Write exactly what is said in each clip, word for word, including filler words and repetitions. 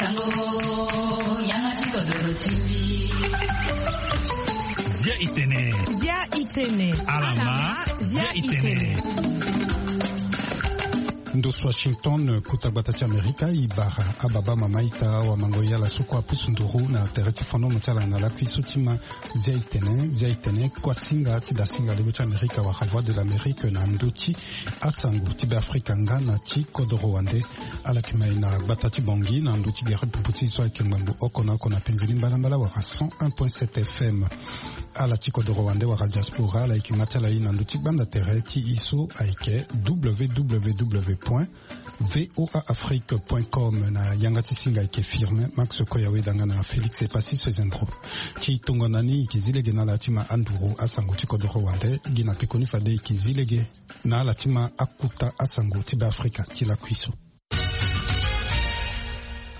Zia itene. Zia itene. Alama. Zia itene. Ndo so Washington, kota gbata ti Amerika, e bara ababa mama ita, awamango, e ala so kue apusu nduru na tere ti fonomo ti ala na lakui so ti ma Zia itene. Zia itene, kuasinga ti dasinga lego ti Amerika wala Voix de l'Amérique na ndö ti asango ti Beafrika nga na ti kodoro wande. Ala yeke ma e na gbata ti Bangui na ndö ti gere popo ti e so ayeke ngbangbo oko na oko na penze ni mbalambala wala cent un point sept F M. Ala ti kodoro wande wala diaspora, ala yeke nga ti ala e na ndö ti gbanda tere ti e so ayeke W W W point V O A Afrique point com. Na yanga ti singa ayeke Firmin Max Koya Wedanga na Félix Epassi Sezendro. Ti tongana ni e yeke zi lege na ala ti ma anduru asango ti kodoro wande, gi na pekoni fade e yeke zi lege na ala ti ma akuta asango ti Beafrika ti lakui so.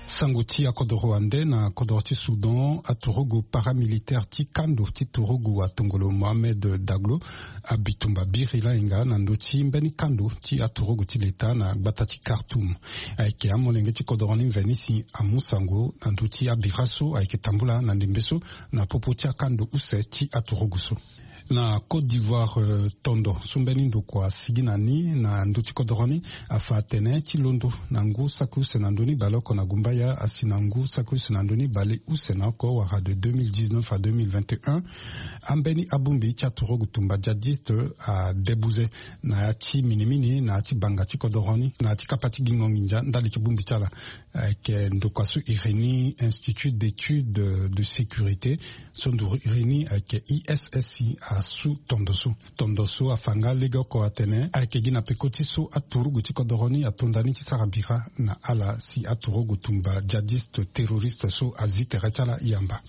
Sango ti akodoro wande. Na kodoro ti Soudan, aturugu paramilitaire ti kando ti turugu atongolo Mohamed Daglo abi tumba biri lainga na ndö ti mbeni kando ti aturugu ti leta na gbata ti Khartoum. Ayeke amolenge ti kodoro ni mveni si amu sango na ndö ti abira so ayeke tambula na ndembe so na popo ti akando use ti aturugu so. Na Côte d'Ivoire, euh, tondo so mbeni ndokua asigi na ni na ndö ti kodoro ni afa atene ti londo na ngu saki use na ndö ni baleoko na gumbaya asi na ngu saki use na ndö ni baleuse na oko wala de deux mille dix-neuf à deux mille vingt et un, ambeni abongbi ti aturugu tumba djihadiste adebuze na ya ti minimini na ya ti banga ti kodoro ni na ya ti kapa ti gingo nginza ndali ti bongbi ti ala. Ayeke ndokua so iri ni Institut d'études de sécurité, so nduru iri ni ayeke I S S I, asu tondo so. Tondo so afa nga legeoko atene ayeke gi na peko ti so aturugu ti kodoro ni ato nda ni ti sara bira na ala si aturugu tumba djihadiste terroriste so azi tere ti ala yamba.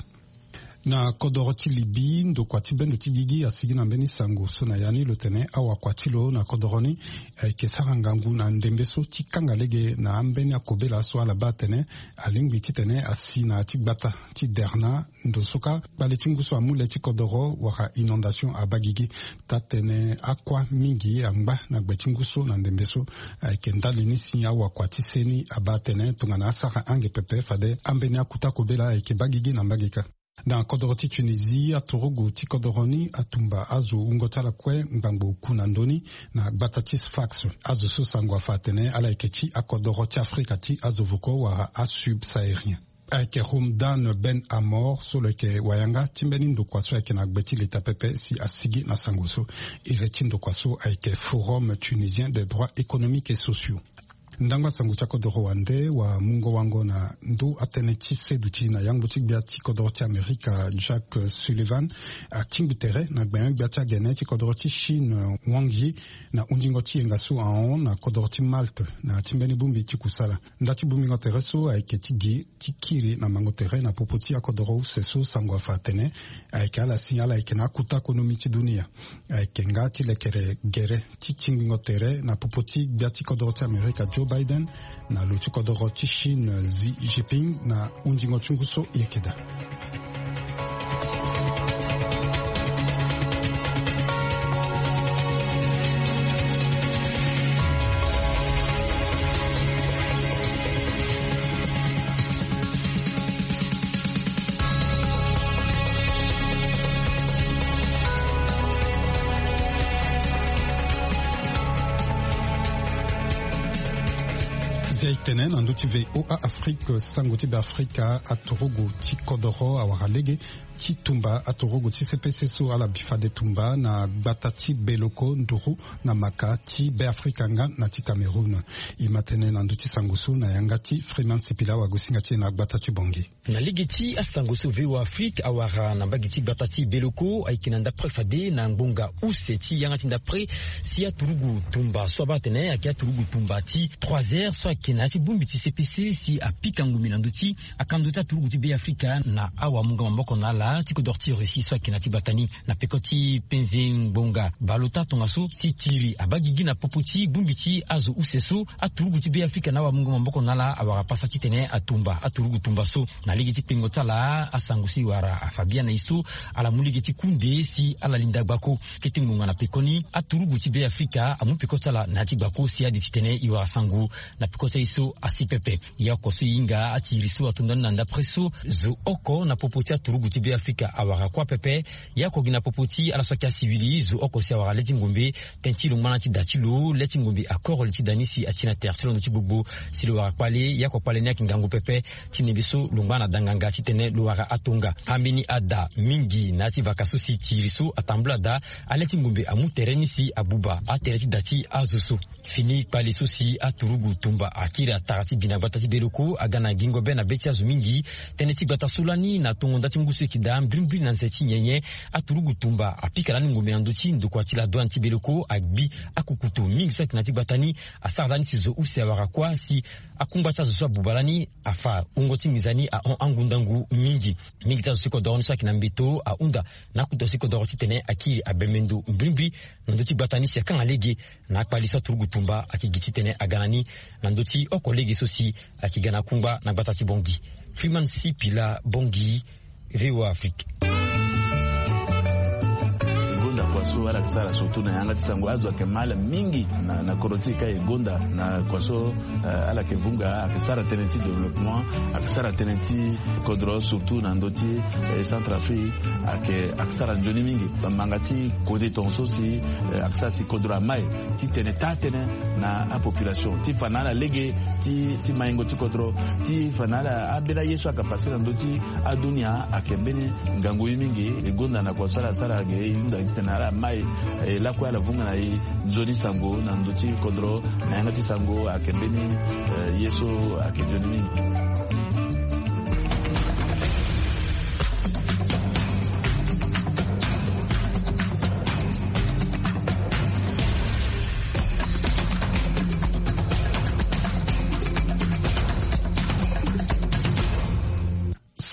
Na kodoro ti Libye, ndokua ti bendo ti gigi asigi na mbeni sango so na ya ni lo tene awakua ti lo na kodoro ni ayeke sara ngangu na ndembe so ti kanga lege na ambeni akobela so ala baa atene alingbi titene asi na ya ti gbata ti Derna. Ndo so kâ kpale ti ngu so amu le ti kodoro wala inondation abaa gigi. Taa-tënë akua mingi angba na gbe ti ngu so na ndembe so. Ayeke ndali ni si awakua ti seni abaa atene tongana asara ange pepe fade ambeni akuta kobela ayeke baa gigi na mbage kâ. Na kodoro ti Tunisie, aturugu ti kodoro ni atumba azo wungo ti ala kue ngbangbo oku na ndö ni na gbata ti Sfax. Azo so sango afa atene ala yeke ti akodoro ti Afrika ti azo voko wala asubsaharien. Ayeke Houmdan Ben Amor so lo yeke wayanga ti mbeni ndokua so ayeke na gbe ti leta pepe si asigi na sango so. Iri ti ndokua so ayeke Forum Tunisien des Droits Économiques et Sociaux. Ndangba sango ti akodoro wande wamungo wango na ndö atënë ti seduti na yangbo ti gbia ti kodoro ti Amerika, Jack Sullivan, atingbi tere na gbenyo-gbia ti agene ti kodoro ti Chine, Wang Yi, na hunzingo ti yenga so ahon na kodoro ti Malte na ya ti mbeni bongbi ti kusala. Nda ti bongbingo tere so ayeke ti gi ti kiri na mango tere na popo ti akodoro use so sango afa atene ayeke ala si ala yeke na akuta konomi ti dunia. Ayeke nga ti lekere gere ti tingbingo tere na popo ti gbia ti kodoro ti Amerika Joe Biden na lo ti kodoro ti Chine Xi Jinping na hunzingo ti ngu so e yeke daa. Zia e tene na ndö ti V O A Afrique, sango ti Beafrika, aturugu ti kodoro awara lege ti tumba aturugu ti C P C so ala bi fade tumba na gbata ti Beloko nduru na maka ti Beafrika nga na ti Cameroun. E ma tene na ndö ti sango so na yanga ti Freeman Sipila wagosinga ti e na gbata ti Bangui. Na lege ti asango so V O A Afrique awara na mbage ti gbata ti Beloko, ayeke na ndapre fade na ngbonga use ti yanga ti ndapre, si aturugu tumba so abaa atene ayeke aturugu tumba ti trois heures so ayeke na ya ti bongbi ti C P C si apika ngombe na ndö ti akando ti aturugu ti Beafrika na awamungo maboko na ala ti kodoro ti Russie so ayeke na ya ti gbata ni. Na peko ti penze ngbonga baleota tongaso si tiri abaa gigi na popo ti bongbi ti azo use so aturugu ti Beafrika na awamungo maboko na ala awara pasa titene atumba aturugu tumba so. Na lege ti kpengo ti ala, asango so e wara afa biani na e so, ala mu lege ti kunde si ala linda gbako. Kete ngbonga na pekoni, aturugu ti Beafrika amu peko ti ala na ya ti gbako si ade titene e wara sango na peko ti So asi pepe. Ya oko so e hinga atiri so ato ndani na ndapre so zo oko na popo ti aturugu ti Beafrika awara kuâ pepe. Ya oko gi na popo ti ala so ayeke asiwili zo oko si awara le ti ngombe. Tënë ti lo ngbâ na ti da ti lo le ti ngombe akoro li ti da ni si ati na tere ti londo ti gbogbo. Si lo wara kpale ya oko kpale ni ayeke ngangu pepe. Ti nembe so lo ngbâ na da nganga titene lo wara atonga. Ambeni ada mingi na ya ti vaka so si tiri so atambula daa. Ale ti ngombe amu tere ni si abuba atere ti da ti azo so. Fini kpale so si aturugu tumba akiri atara ti gi na gbata ti beloko aga na gingo be na be ti azo mingi. Tënë ti gbata so lani na tongo nda ti ngu so eke daa mbirimbiri na nze ti nyenye. Aturugu tumba apika lani ngombe na ndö ti ndokua ti la douane ti beloko agbi akukutu mingi so ayeke na ya ti gbata ni. Asara lani si zo use awara kuâ si akungba ti azo so abuba lani afa wungo ti nginza ni ahon angundangu mingi. Mingi ti azo si kodoro ni so ayeke na mbeto ahunda na akuta si kodoro titene akiri abembe ndo mbirimbiri na ndö ti gbata ni si akanga lege. Na akpali so aturugu tumba ayeke gi titene aga na ni na ndö ti oko lege so si ayeke ga na kungba na gbata ti Bangui. Freeman Sipila, Bangui, VOA Afrique. E gonda kua so ala yeke sara surtout na yanga ti sango azo ayeke mal mingi na, na kodro ti e ka e gonda na kua so, eh, ala yeke vunga ayeke sara tënë ti développement, ayeke sara tënë ti kodro surtout na ndö ti, eh, Centrafrique ayeke, ayeke sara nzoni mingi. Bamanga ti kode tongaso si, eh, ayeke sara si kodro amai titene taa tënë na apopulation ti fa na ala lege ti, ti maingo ti kodro ti fa na ala ambeni aye so ayeke pase na ndö ti adunia ayeke mbeni ngangu ye mingi. E gonda na kua so ala sara ge e hunda titene ala mai, eh, lakue ala vunga na e nzoni sango na ndö ti kodro na yanga ti sango ayeke mbeni, eh, ye so ayeke nzoni mingi.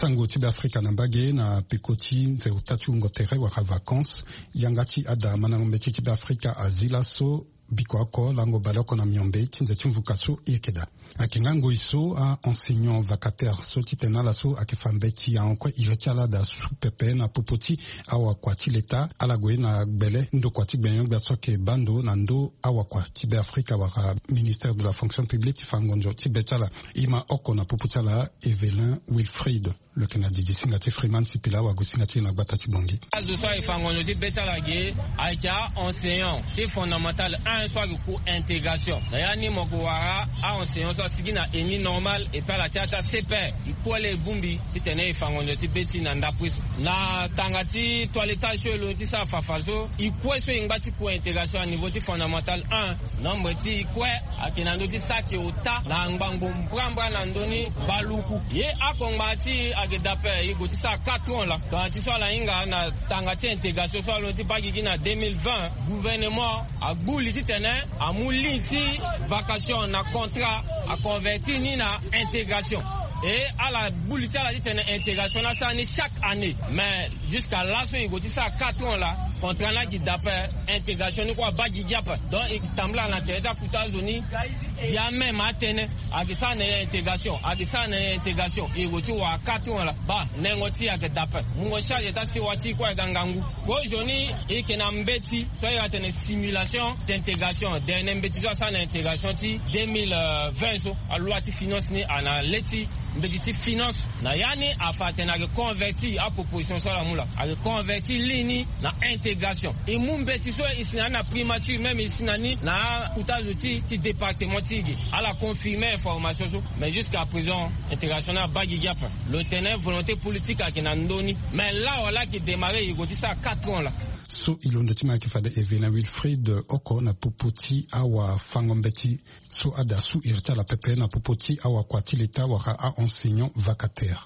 Sango ti Beafrika na mbage na peko ti nze ota ti wungo tere wala vacances. Yanga ti ada mandango mbeti ti Beafrika azi laso biko oko lango baleoko na miombe ti nze ti mvuka so e yeke daa. Ayeke nga ngoi so a-enseignant vacataire so titene ala so ayeke fa mbeti ahon kue iri ti ala daa su pepe na popo ti awakua ti leta ala gue na gbele ndokua ti gbenyo-gbia so ayeke baa ndo na ndö awakua ti Beafrika wala ministère de la fonction publique ti fa ngonzo ti be ti ala. E ma oko na popo ti ala Evelyn Wilfried. Lo yeke na didi singa ti Freeman Sipila wago singa ti e na gbata ti Bangui. Azo so ayeke fa ngonzo ti be ti ala ge ayeke a-enseignant ti fondamental un so ayeke ku intégration. Na ya ni mo yeke wara a-enseignant so asigi na eni normal et puis ala ti ata C P R. E kue laa e bongbi titene e fa ngonzo ti be ti e na ndapre so. Na tanga ti toilettage so e londo ti sara fafa so, e kue so e ngba ti ku intégration à niveau ti fondamental un. Nombre ti e kue ayeke na ndö ti saki ota na ngbangbo mbrambra na ndö ni baluku. Ye akongba ti e ayeke daa ape, e gue ti sara quatre ans laa. Tongana ti so ala hinga na tanga ti intégration so alondo ti baa gigi na deux mille vingt, gouvernement agbu li titene amu ligne ti vacation na contrat, aconvertir ni na intégration. Et ala gbu li ti ala titene intégration ni asara ni chaque année. Mais jusqu'à laso e gue ti sara quatre ans laa, contrat ni ayeke daa ape, intégration ni kue abaa gigi ape. Donc e tambula na tere ti akuta azo ni, ya même atene ayeke sara na e intégration, ayeke sara na e intégration. E gue ti wara quatre ans laa, baa nengo ti e ayeke daa ape. Mungo charge ti asewa ti e kue ayeke ngangu. Kozo ni e yeke na mbeti so a iri atene simulation d'intégration. Dernier mbeti so asara na intégration ti deux mille vingt so, aloi ti finance ni ana le ti mbeti ti finance. Na ya ni afa atene ayeke convertir aproposition so ala mu laa, ayeke convertir ligne ni na intégration. E mu mbeti so e si na ni na primature, même e si na ni na akuta azo ti, ti département ti e ge. Ala confirmer information so. Mais jusqu'à présent intégration ni abaa gigi ape. Lo tene volonté politique ayeke na ndö ni. Mais laa wala ayeke démarrer, e gue ti sara quatre ans laa. So e londo ti ma ayeke fade Evelyn Wilfried oko na popo ti awafango-mbeti so ada su iri ti ala pepe na popo ti awakua ti leta wala a-enseignant vacataire.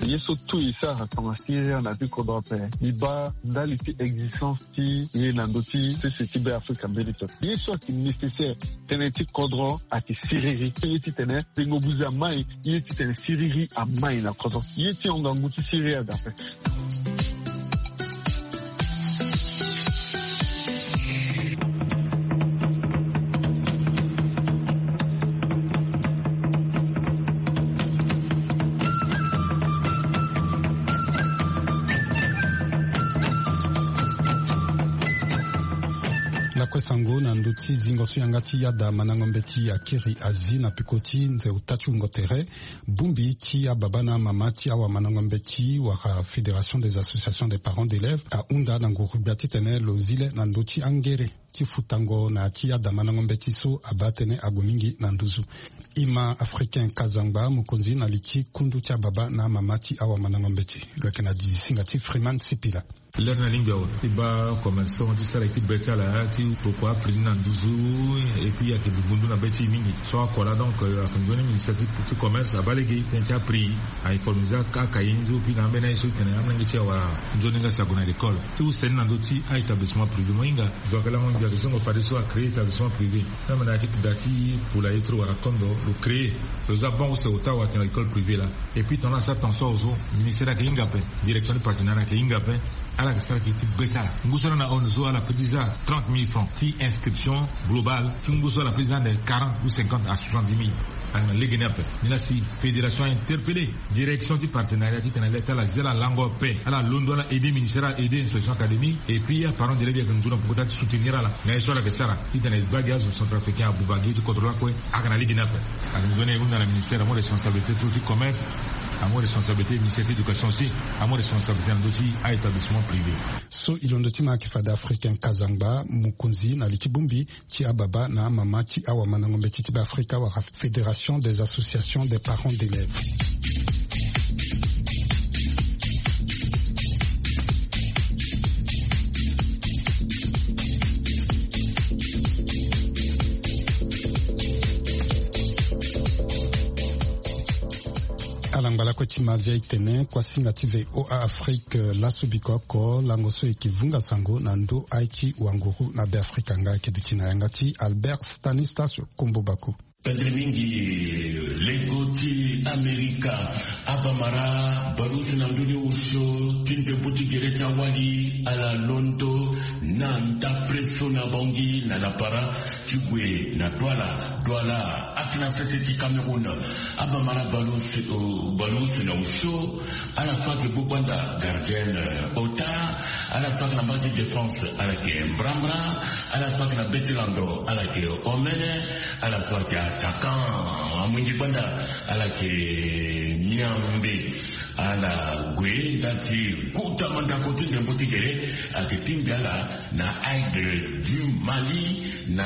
Ye so tout e sara tonga siriri na ti kodro ape, e baa ndali ti existence ti e na ndö ti sese ti Beafrika mbeni pepe. Ye so ayeke nécessaire tënë ti kodro ayeke siriri. Ye titene tengo buze amai, ye titene siriri amai na kodro. Ye ti hon ngangu ti siriri aga ape. Na Sango na ndö ti zingo so yanga ti yada mandango mbeti akiri azi na peko ti nze ota ti wungo tere. Bongbi ti ababa na amama ti awamandango mbeti wala Fédération des associations des parents d'élèves ahunda na nguru gbia titene lo zi le na ndö ti angere ti futango na ya ti yada mandango mbeti so abaa tënë ague mingi na nduzu. Ima Africain Kazangba, mokonzi na li ti kundu ti ababa na amama ti awamandango mbeti, lo yeke na dizi singa ti Freeman Sipila. Lere na lingbi awe ti baa commerçant ti sara ye ti be ti ala ti tokua aprix ni na nduzu. Et puis ayeke bi ngundu na be ti e mingi so akua laa. Donc ayeke nzoni ministère ti commerce abaa lege tënë ti aprix, a informiser akaye ni so puis na ambeni aye so etene amolenge ti e awara nzoni nga si ague na l'école. Ti use ni na ndö ti a-établissement privé mo hinga. Zo ayeke lango ngia ti zongo fadeso acréer établissement privé. Même na ya ti da ti poulailler ti lo wala kondo lo créer, lo za banc use ota wala tene na école privée laa. Et puis tongana asara tension awe so, ministère ayeke hinga ape, direction ti partenariat ayeke hinga ape. Ala yeke sara gi ti be ti ala. Ngu so ala na hon so ala peut ti za trente mille francs ti inscription globale. Ti ngu so ala peut ti za ande quarante ou cinquante à soixante-dix mille. Ala yeke na lege ni ape. Ni laa si fédération a interpellé direction ti partenariat titene le ti ala zi ala lango ape, ala londo, ala aider ministère, ala aider inspection académique. Et puis aparent d'élève ayeke ndu na poko ti soutenir ala na ye so ala yeke sara titene e baa gi azo centrafricain abuba gi ti kodro lakue. Ayeke na lege ni ape. Ayeke nzoni e hunda na ministère amu responsabilité ti lo ti commerce, amu responsabilité ministère ti éducation aussi, amu responsabilité na ndö ti a-établissement privé. So e londo ti ma ayeke fade Africain Kazangba, mokonzi na li ti bongbi ti ababa na amama ti awamandango mbeti ti Beafrika wala Fédération des associations des parents d'élèves. Ala ngba lakue ti ma via e tene kuasinga ti V O A Afrique, eh, laso biko oko lango so e yeke vunga sango na ndö aye ti wanguru na Beafrika. Nga ayeke duti na yanga ti Albert Stanislas Kombo Bako. Pendere mingi, lego ti Amerika, abamara baleuse na ndö ni osio ti ndembo ti gere ti awali ala londo na ndapre so na Bangui na lapara ti gue na Douala. Douala ayeke na sese ti Cameroun. Abamara baleuse, baleuse na osio, ala so ayeke gbu gbanda gardienne, eh, ota, ala so ayeke na mbage ti défense ala yeke mbrambra, ala so ayeke na be ti lando ala yeke omene, ala so ayeke attaquant, amongi gbanda, ala yeke miambe. Ala gue ndali ti kota mandako ti ndembo ti gere, ayeke tingbi ala na Aigle du Mali na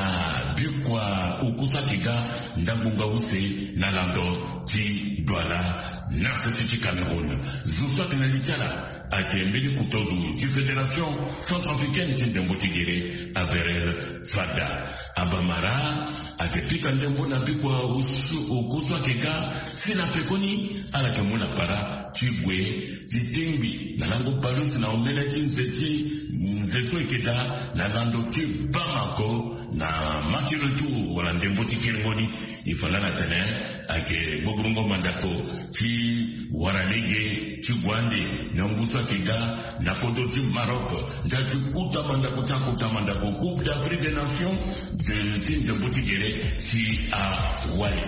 bikua oko so ayeke ga ndambo ngbanga use na lando ti Douala na sese ti Cameroun. Zo so ayeke na li ti ala ayeke mbeni kuta zo ti Fédération centrafricaine ti ndembo ti gere, A B R L, fada. Abamara ayeke pika ndembo na bikua osu, oko so ayeke ga si na pekoni ala yeke mu na para ti gue ti tingbi na lango baleuse na omene ti nze ti nze so e yeke daa na lando ti Bamako na match retour wala ndembo ti kiringo ni. E fa laa na tene ayeke gbogbongo mandako ti wara lege ti gue ande na ngu so ayeke ga na kodro ti Maroc ndali ti kota mandako ti akota mandako Coupe d'Afrique des Nations de ti ndembo ti gere ti awali.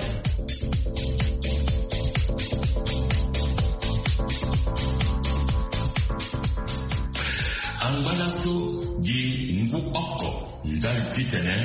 Angba laso gi ngu oko ndali titene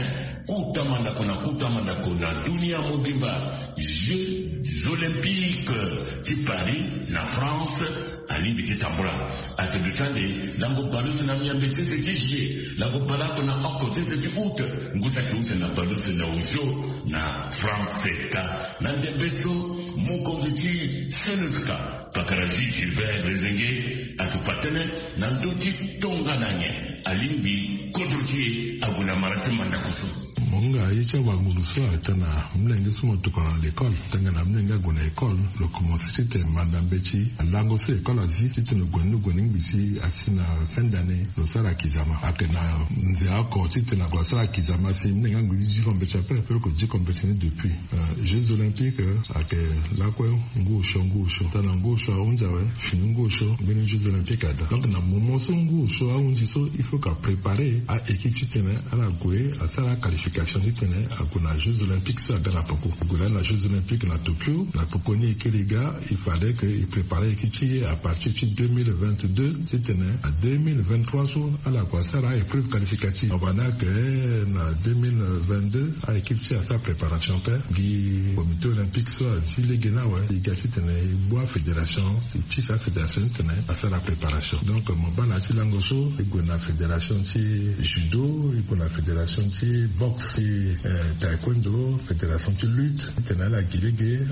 kota mandako na kota mandako na dunia mobimba, Jeux Olympiques ti Paris na France alingbi ti tambula. Ayeke duti ande lango baleuse na miambe ti nze ti juillet, lango baleoko na oko ti nze ti août, ngu so ayeke use na baleuse na osio na France ka. Na ndembe so, mokonzi ti CNSK, pakara Gilbert Lezenge, ayeke fa tënë na ndö ti tongana nyen alingbi kodro ti e ague na mara ti mandako so. Mo hinga ye ti awanguru so atene na molenge so mo tokua na lekole, tongana molenge ague na ekole, lo komanse titene manda mbeti lango so ekole azi titene lo gue ni lo gue ni ngbi si asi na fin d'année lo sara kizama. Ayeke na nze oko titene ague asara kizama si molenge angbi ti diko mbeti ape, ape lo yeke diko mbeti ni depuis. Euh, Jeux Olympiques, euh, ayeke lakue ngu osio ngu osio. Tongana ngu osio ahunzi awe, fini ngu osio mbeni Jeux Olympiques ada. Donc na moment so ngu osio ahunzi so, il faut que apréparer a-équipe titene ala gue asara qualification. Ti tene ague na jeux olympiques so aga na poko, ague lani na jeux olympiques na Tokyo. Na poko ni e kiri ga, il fallait que e prépare équipe ti e à partir ti deux mille vingt-deux, ti tene à deux mille vingt-trois so ala kua sara a épreuve qualificative. Wabana ke na deux mille vingt-deux a équipe ti e asara préparation pe gi comité olympique so azi lege ni awe, e ga ti tene e bua fédération, e pisa fédération ti tene asara préparation. Donc mo baa na ya ti lango so e gue na fédération ti judo, e gue na fédération ti boxe, ti taekwondo, fédération ti lutte ti tene ala gi lege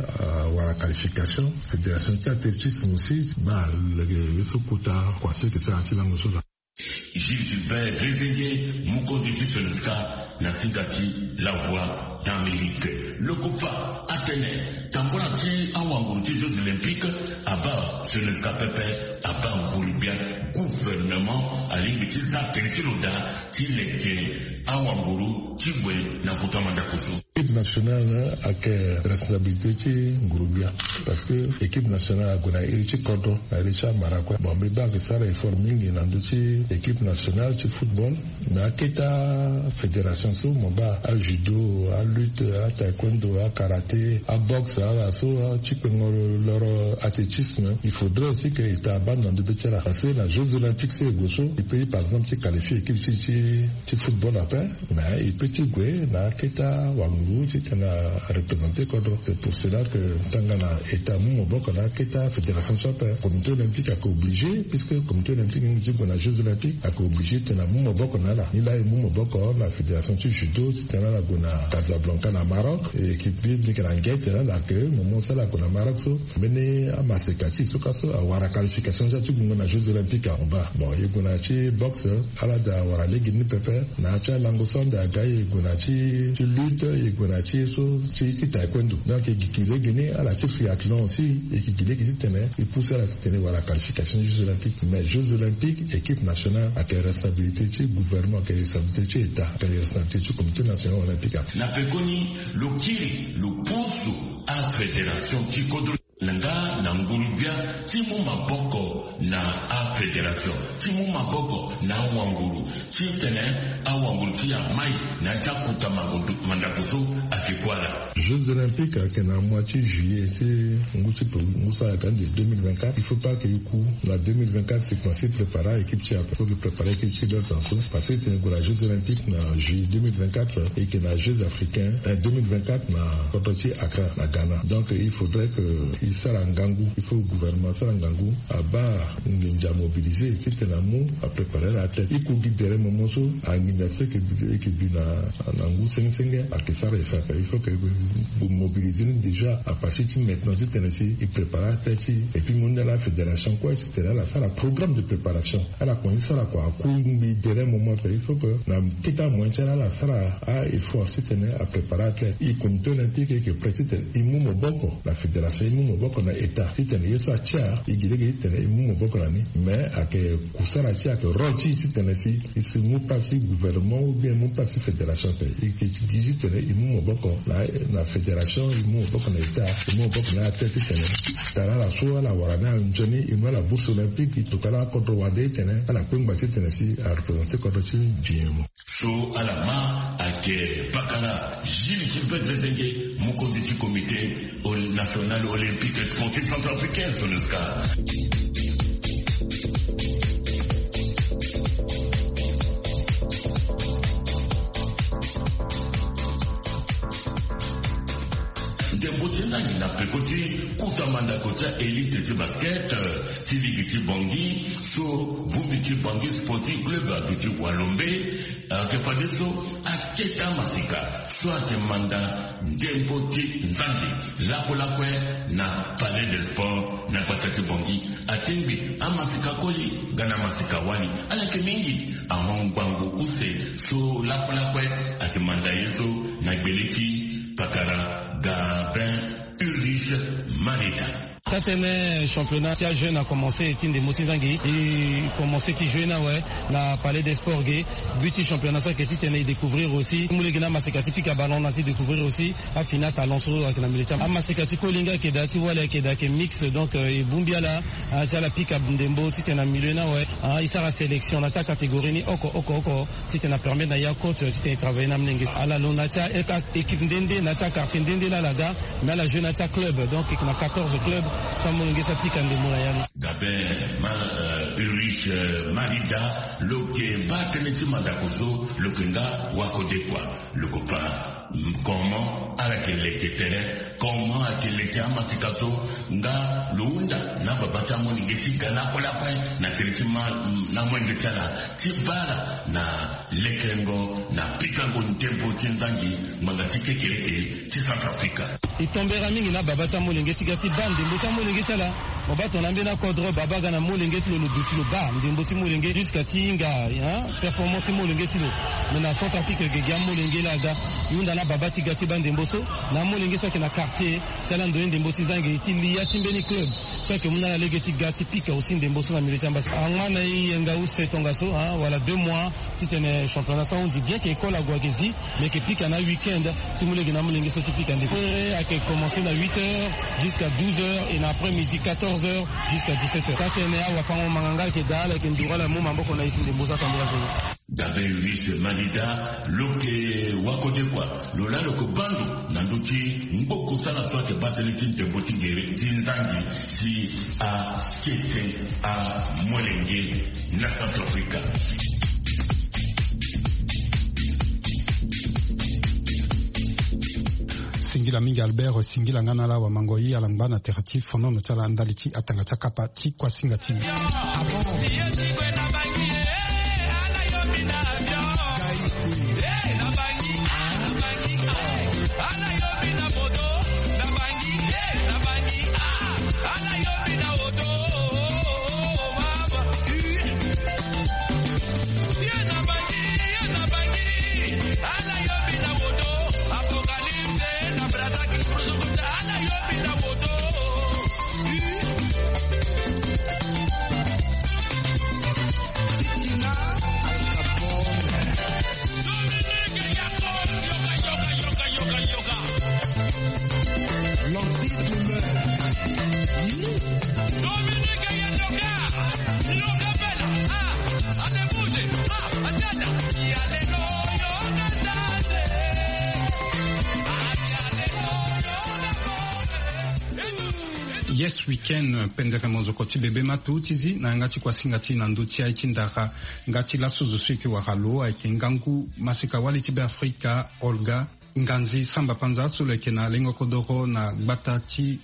awara qualification. Fédération ti athlétisme aussi baa lege ye so kota kua so e ke sara na ya ti lango so laa. Gilles Gilbert Rezenge, mokonzi ti Sonesca, na singa ti La Voix d'Amérique. Lokofa atene tambula ti awanguru ti Jeux Olympiques abaa Sonesca pepe, abaa nguru-gbia. Gouvernement alingbi ti za tene ti lo daa ti leke awanguru ti gue na kota mandako so. Équipe nationale ayeke responsabilité ti nguru-gbia, parce que équipe nationale ague na iri ti kodro, na iri ti amara kue. Bon, mbi baa ayeke sara effort mingi na ndö ti équipe nationale ti football. Mais akete afédération so mo baa ajudo, alutte, ataekwondo, akaraté, aboxe, ala so ti kpengo loro athlétisme, il faudrait aussi que état abaa na ndö be ti ala. Parce que na jeux olympiques so e gue so, e peut par exemple ti qualifier équipe ti ti ti football ape, mais e peut ti gue na akete awanguru ti tene areprésenter kodro. C'est pour cela que tanga na état amu maboko na akete afédération so ape, comité olympique ayeke obligé, puisque comité olympique ni ti gue na jeux olympiques ayeke obligé ti tene amu maboko na ala. Ni laa e mu maboko na fédération ti judo ti tene ala gue na Casablanca na Maroc. E équipe ni mbi yeke na ngia ti tene ala ke moment so ala gue na Maroc so, mbeni amaseka ti e so ka so awara qualification so ti gue na jeux olympiques en bas. Bon, e gue na ti boxe, ala daa awara lege ni pepe. Na ya ti alango so ande aga e gue na ti ti lutte, e gue na ti ye so ti ti taekwondo. Donc e gi gi lege ni ala ti triathlon aussi, e gi gi lege ti tene e pousse ala ti tene e wara qualification jeux olympiques. Mais jeux olympiques, équipe nationale ayeke responsabilité ti gouvernement, ayeke responsabilité ti état, ayeke responsabilité ti comité national olympique. Na pekoni lo kiri lo pusu afédération ti kodro na nga na nguru-gbia ti mu maboko na afédération, ti mu maboko na awanguru ti tene awanguru ti e amai na ya ti akuta mango-, mandako so ayeke kue ala. Jeux olympiques ayeke na mois ti juillet ti ngu ti pe ngu so ayeke ande deux mille vingt-quatre. Il faut pas que e ku na deux mille vingt-quatre si kua si prépara équipe ti e ape. Faut que prépara équipe ti e na temps so, parce que tene e gue na jeux olympiques na juillet deux mille vingt-quatre, e yeke na jeux africains, eh, deux mille vingt-quatre na kodro ti Accra na Ghana. Donc il faudrait que e sara ngangu, il faut gouvernement asara ngangu, abaa nginza amobilisé ti tene amu apréparer ala athlète. E ku gi derrière moment so anginza so e yeke bi, e yeke bi na na ngu senge senge ayeke sara e fa ape. Il faut que e mobilisé ni déjà à partir ti maintenant ti tene si e prépara athlète ti e. Et puis mu ni ala fédération kue ti tene ala sara programme de préparation. Ala kua ni sara kua, a ku ngbi derrière moment ape. Il faut que na kete amoyen ti ala ala sara a-effort ti tene aprépare athlète. E comité olympique e yeke prêt ti tene e mu maboko na fédération, e mu maboko na état ti tene ye so atia e gi lege ti tene e mu maboko na ni. Mais ayeke kusala ti e, ayeke rôle ti e ti tene si e si mu place ti gouvernement ou bien e mu place ti fédération ape. E yeke gi ti tene e mu maboko na, na fédération, e mu maboko na état, e mu maboko na athlète ti tene tara ala so ala wara ni anzoni, e mu ala bourse olympique, e tokua ala akodro wande ti tene ala kpengba ti tene si areprésenter kodro ti e nzoni. So ala ma ayeke pakara Gilles Gilbert Rezenge, mokonzi ti comité ol-, national olympique et sportif centrafricain, Sonesca. Ndembo ti nzangi na peko ti kuta mandako ti aélite ti basket, eh, ti ligi ti Bangui, so bongbi ti Bangui Sporting Club aduti walombe. Ayeke fadeso akete amasika so ayeke manda ndembo ti nzangi lakue lakue na Palais des Sports na gbata ti Bangui. Atengbi amasika koli nga na amasika wali, ala yeke mingi. Ahon ngbangbo use so lakue lakue ayeke manda ye so na gbele ti pakara Gabin Ulrich Mareda. Atene championnat ti ajeune a commencé ti ndembo ti zangi, e commencé ti jouer na awe na palais des sports ge. But ti championnat so ayeke titene e découvrir aussi ti mu lege na amaseka ti pika ballon na ti découvrir aussi afini atalent so ayeke na milieu ti amaseka ti kolinga ayeke daa ti wali ayeke daa ayeke mix. Donc e bongbi ala si ala pika ndembo titene na milieu ni awe e sara sélection na ti acatégorie ni oko oko oko. Titene apermettre na ya coach titene e travailler na amolenge so ala lo na ti a équipe nde nde na ti aquartier nde nde laa ala ga. Mais ala jouer na ti aclub donc e yeke na quatorze club so amolenge so apika ndembo na ya ni. Gabe ma Ulrich Marida lo yeke baa tënë ti mandako so lo yeke nga wakodekua. Lo yeke baa comment ala yeke leke tere, comment ayeke leke amaseka so nga lo hunda na ababa ti amolenge ti ga lakue lakue na tere ti ma na amolenge ti ala ti baa ala na lekengo na pikango ndembo ti nzangi ngbanga ti kekereke ti Centrafrique. E tombera mingi na ababa ti amolenge ti ga ti baa ndembo ti amolenge ti ala. Mo baa tongana ambeni akodro baba aga na molenge ti lo lo duti lo baa ndembo ti molenge jusqu'à ti hinga performance ti molenge ti lo. Mais na Centrafrique gege amolenge laa aga e hunda na ababa ti ga ti baa ndembo so na amolenge so ayeke na quartier. Si ala ndoye ndembo ti zangi ti li ya ti mbeni club so ayeke mu na ala lege ti ga ti pika aussi ndembo so na milieu ti ambassadeur angba na e yenga use tongaso wala deux mois. Titene championnat so ahunzi bien que école ague ayeke zi. Mbi yeke pika na week-end ti mu lege na amolenge so ti pika ndembo. Fere ayeke commencer na huit heures jusqu'à douze heures et na après-midi quatorze heures jusqu'à dix-sept heures. Taa tene awafango-manganga ayeke daa ala yeke nduru ala mu maboko na e si ndembo so atambula zoni. Gabe Ulrich Marida lo yeke wakodekua lo laa lo yeke baa ndo na ndö ti ngboku sala so ayeke baa tënë ti ndembo ti gere ti nzangi ti akete amolenge na Centrafrique. Singila mingi Albert, singila nga na ala wamango ye ala ngba na tere ti fonono ti ala ndali ti atanga ti akapa ti kuasinga ti e. Yes, week-end, pendere mozoko ti bebe matu ti zi na yanga ti kuasinga ti na ndö ti aye ti ndara. Nga ti laso zo so e yeke wara lo ayeke ngangu maseka wali ti Beafrika Olga Nganzi Samba Panza so lo yeke na lengo kodoro na gbata ti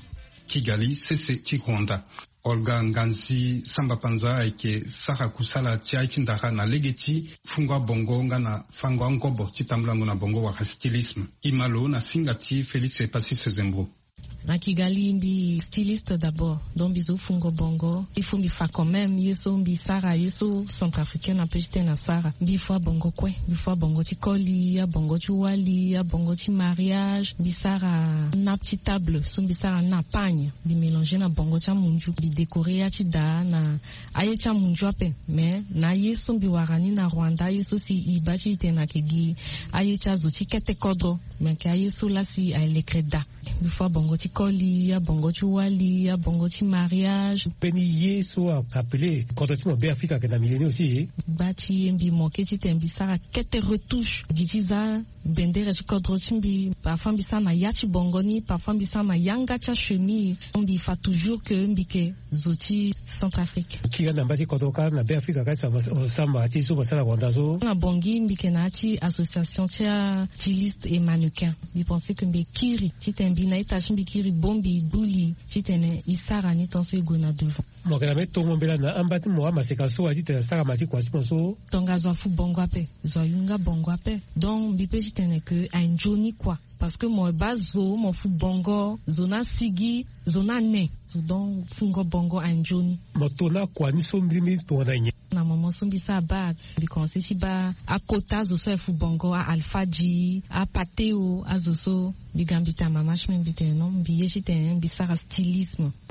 Kigali, sese ti Rwanda. Olga Nganzi Samba Panza ayeke sara kusala ti aye ti ndara na lege ti fungo abongo nga na fango angobo ti tambulango na bongo wala stylisme. E ma lo na singa ti Félix Epassis Sezembro. Na Kigali mbi styliste d'abord, donc mbi zo fungo bongo. Il faut mbi fa quand même ye so mbi sara, ye so centrafricain ape ti tene asara. Mbi fua bongo kue, mbi fua bongo ti koli, abongo ti wali, abongo ti mariage. Mbi sara nappe ti table so mbi sara na pagne, mbi mélanger na bongo ti amunzu, mbi décorer ya ti daa na aye ti amunzu ape. Mais na aye so mbi wara ni na Rwanda, aye so si e baa ti tene ayeke gi aye ti azo ti kete kodro, mais ayeke aye so laa si aye lekere daa. Mbi fua bongo ti koli, abongo ti wali, abongo ti mariage. Mbeni ye so a appelé kodro ti mo Beafrika ayeke na milieu ni aussi. Gba ti ye mbi manqué ti tene mbi sara kete retouche gi ti za bendere ti kodro ti mbi. Parfois mbi sara na ya ti bongo ni, parfois mbi sara na yanga ti achemise. Mbi fa toujours que mbi yeke zo ti Centrafrique. Kiri na mba ti kodro kâ na Beafrika kâ ti samba ti so basara Rwanda so. Na Bangui mbi yeke na ya ti association ti astyliste et mannequin. Mbi pensé que mbi kiri titene mbi na ita ti mbi kiri bongbi gbu li titene e sara ni tant so e gue na devant. Mo yeke na mbeni tongo mbela na amba ti mo amaseka so wa titene asara ma ti kua ti mo so. Tongaso afu bongo ape, zo ayunga bongo ape. Donc mbi pe titene que aye nzoni kua. Parce que mo baa zo, mo fu bongo, zo ni asigi, zo ni ane. Zo donc fungo bongo aye nzoni. Mo to na kua ni so mbirimbiri tongana nyen? Na moment so mbi sara bac, mbi commencé ti baa akota azo so aye fu bongo, a Alpha G, a Pateo, azo so. Mbi ga mbi tene mama ti mbi, mbi tene non, mbi ye titene mbi sara stylisme.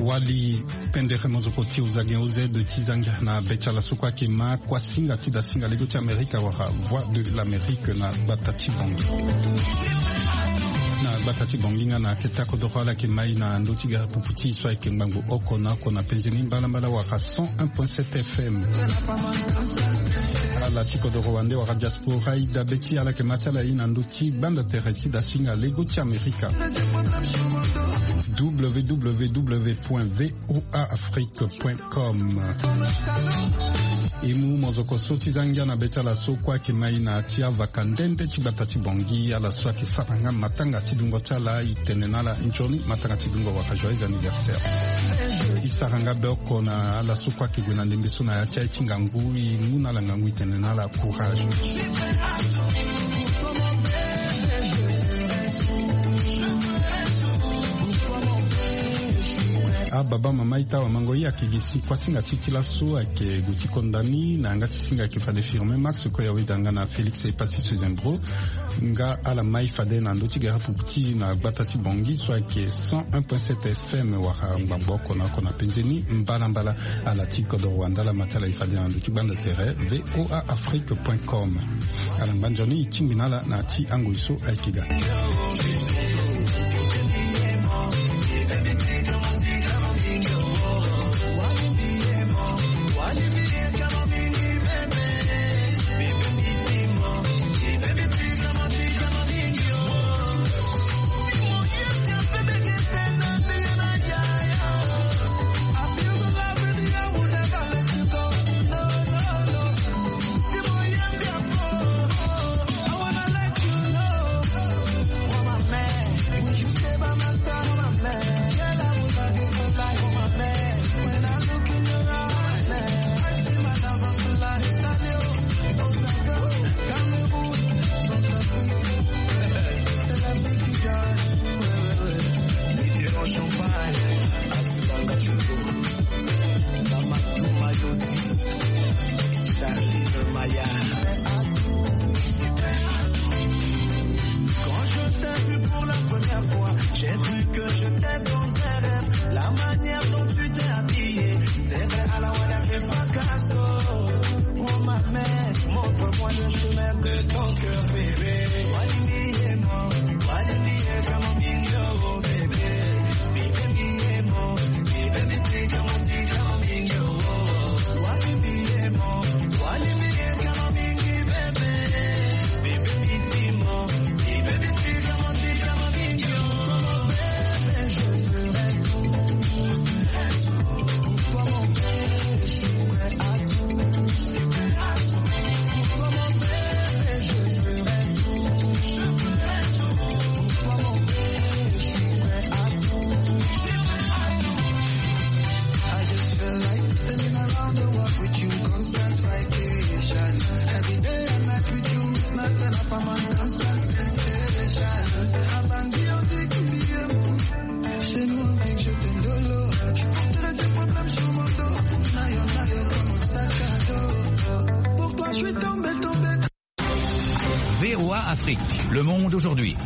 Wali pendere mozoko ti ozagen oz ti zangia na be ti ala so kue ayeke ma kuasinga ti dasinga lego ti Amerika wala Voix de l'Amérique na gbata ti Bangui. Na gbata ti Bangui nga na akete akodoro ala yeke mai na ndö ti gere pupu ti so ayeke ngbangbo oko na oko na penze ni mbalambala wala cent un point sept F M. Ala ti kodoro wande wala diaspora e dabe ti ala yeke ma ti ala ye na ndö ti gbanda tere ti dasinga lego ti Amerika. W W W point V O A Afrique point com. E mu mozoko so ti zangia na be ti ala so kue ayeke mai na ti avaka nde nde ti gbata ti Bangui, ala so ayeke sara nga matanga ti dungo ti ala, e tene na ala nzoni matanga ti dungo wala joyeux anniversaire. E sara nga be oko na ala so kue ayeke gue na ndembe so na ya ti aye ti ngangu, e mu na ala ngangu, e tene na ala courage. Ababa mama ita wamango, e yeke gi si kuasinga ti ti laso ayeke gue ti konda ni na yanga ti singa ayeke fade Firmin Max, kue awe danga na Félix Epassi Sezembro. Nga ala mai fade na ndö ti gere pupu ti na gbata ti Bangui so ayeke cent un point sept F M wala ngbangbo oko na oko na penze ni mbalambala. Ala ti kodoro wande ala ma ti ala e fade na ndö ti gbanda tere V O A Afrique point com. Ala ngba nzoni e tingbi na ala na ti angoi so ayeke ga. Charlie Maya. Quand je t'ai vu pour la première fois, j'ai cru que j'étais dans un rêve. La manière dont tu t'es habillée, c'est vrai, à la Wada fait fracasso. Prends ma main, montre-moi le chemin de ton cœur, bébé. Wali mi ye mo, wali mi ye kamo mi yo, bébé. Mi ye mi ye mo, mi baby, take a mo, take a mo, mi yo. Wali mi ye mo, wali mi ye kamo mi, bébé. Mi baby, take a mo, mi baby, take a mo, take a mo, mi yo. Afrique, le monde aujourd'hui.